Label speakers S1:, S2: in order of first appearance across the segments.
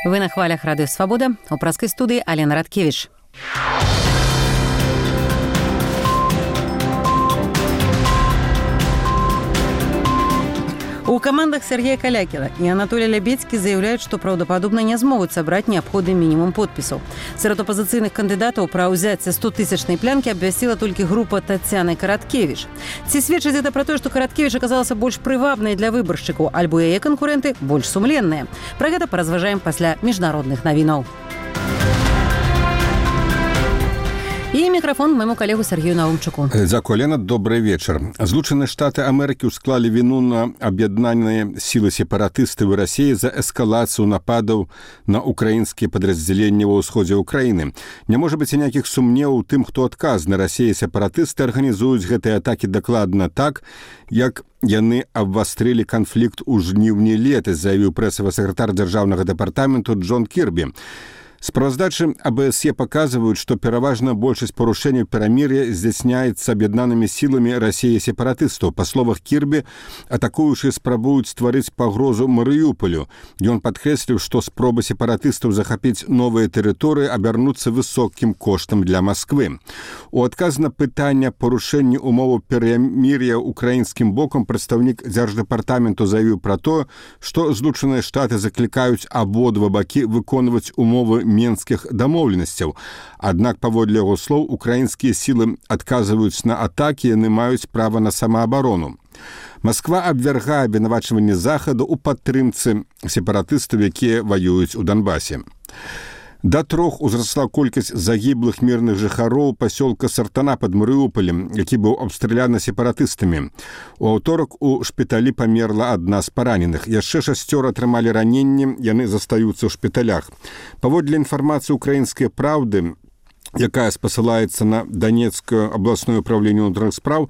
S1: Вы на хвалях Радыё Свабода, у праскай студыі Алена Радкевіч. У командах Сергея Калякіна и Анатолия Лябедзькі заявляют, что правдоподобно не смогут собрать необходимый минимум подписов. Среди оппозиционных кандидатов про взятие 100-тысячной плянки обвестила только группа Татьяны Караткевич. Ці сведчыць это про то, что Караткевич оказался больше привабной для выборщиков, альбо яе конкуренты больше сумленные. Про это поразважаем после международных новинов. І мікрафон майму калегу Сергею Наумчуку.
S2: Дзякуй, Алена, добрый вечер. Злучаныя Штаты Амерыкі ўсклалі віну на аб'яднаныя сілы сепаратыстаў Расіі за эскалацыю нападаў на украінскія падраздзяленні ва ўсходзе ўкраіны. Не можа быць ніякіх сумневаў у тым, хто адказны. Расія сепаратысты арганізуюць гэтыя атакі дакладна так, як яны абвастрылі канфлікт у жніўні летась, заявіў прэсавы сакратар дзяржаўнага дэпартаменту Джон Кірбі. Справаздачы АБСЕ показывают, что пераважна большасць парушэнняў перамір'я здзяйсняецца аб'яднанымі сіламі Расіі сепаратыстаў. Па словах Кірбі, атакуючыя спрабуюць стварыць пагрозу Марыюполю. Ён падкрэсліў, што спробы сепаратыстаў захапіць новыя тэрыторыі абярнуцца высокім коштам для Масквы. У адказ на пытанне парушэння умоваў перамір'я украінскім бокам прадстаўнік дзярждэпартаменту заявіў пра тое, што Злучаныя Штаты заклікаюць абодва бакі выконваць умовы менскіх дамоўленасцяў. Аднак, паводле яго слоў, украінскія сілы адказваюць на атакі, яны маюць права на самаабарону. Масква абвяргае абвінавачванні Захаду ў падтрымцы сепаратыстаў, якія ваююць у Донбасе. Да 3 узрасла колькасць загіблых мірных жыхароў пасёлка Сартана пад Марыуполем, які быў абстраляны сепаратыстамі. У аўторак у шпіталі памерла адна з параненых. Яшчэ 6 атрымалі раненні, яны застаюцца ў шпіталях. Паводле інфармацыі «Украінскай правды», якая спасылаецца на Донецкае абласное управленне ўнутраных спраў,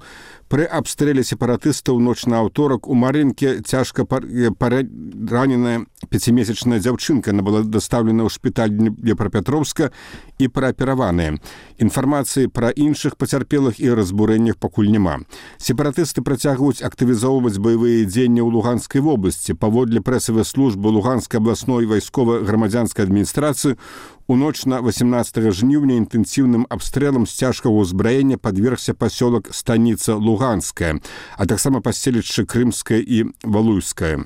S2: пры абстрэле сепаратыстаў ноч на аўторак у Марынке цяжка параненая 5-месячная дзяўчынка. Она была дастаўлена ў шпіталь Днепрапетровска і праапераваная. Інфармацыі пра іншых пацярпелых і разбурэннях пакуль няма. Сепаратысты працягваюць актывізоўваць баявыя дзеянні ў Луганскай вобласці. Паводле прэсавай службы Луганскай абласной вайскова-грамадзянскай адміністрацыі, у ноч на 18 жніўня інтэнсіўным абстрэлам з цяжкага ўзбраення падвергся пасёлак станіца Луганская, а таксама паселішчы Крымскае і Валуйскае.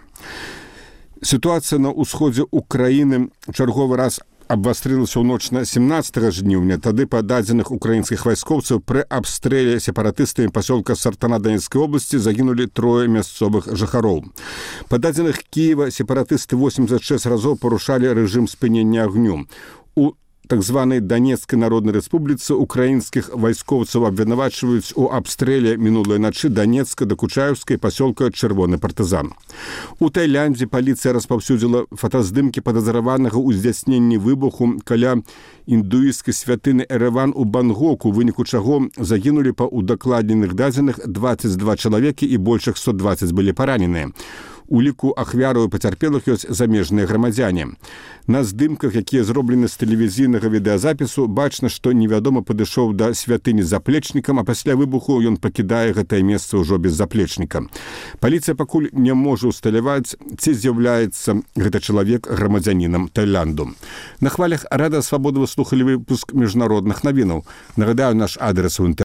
S2: Сітуацыя на ўсходзе Украіны чарговы раз абвастрылася ў ноч на 17 жніўня. Тады па дадзеных украінскіх вайскоўцаў пры абстрэле сепаратыстамі пасёлка Сартана Донецкай обласці загінулі 3 мясцовых жыхароў. Па дадзеных Кіева сепаратысты 86 разоў парушалі рэжым спынення агню. У так званай Донецкай Народнай Рэспубліцы украінскіх вайскоўцаў абвінавачваюць у абстрэле мінулай начы Донецка, Дакучаеўскай пасёлка Чырвоны партызан. У Таіландзе паліцыя распаўсюдзіла фотаздымкі падазраванага ў здзяйсненні выбуху каля індуісцкай святыні Эрэван у Бангоку, у выніку чаго загінулі па удакладненых дадзеных 22 чалавекі і больш 120 былі параненыя. У ліку ахвяраў і пацярпелых ёсць замежныя грамадзяне. На здымках, якія зроблены з тэлевізійнага відэазапісу, бачна, што невядома падышоў да святыні з заплечнікам, а пасля выбуху ён пакідае гэтае месца ўжо без заплечніка. Паліцыя пакуль не можа ўсталяваць, ці з'яўляецца гэты чалавек грамадзянінам Таіланду. На хвалях Радыё Свабода вы слухалі выпуск міжнародных навінаў. Нагадаю, наш адрес у інтэрнэце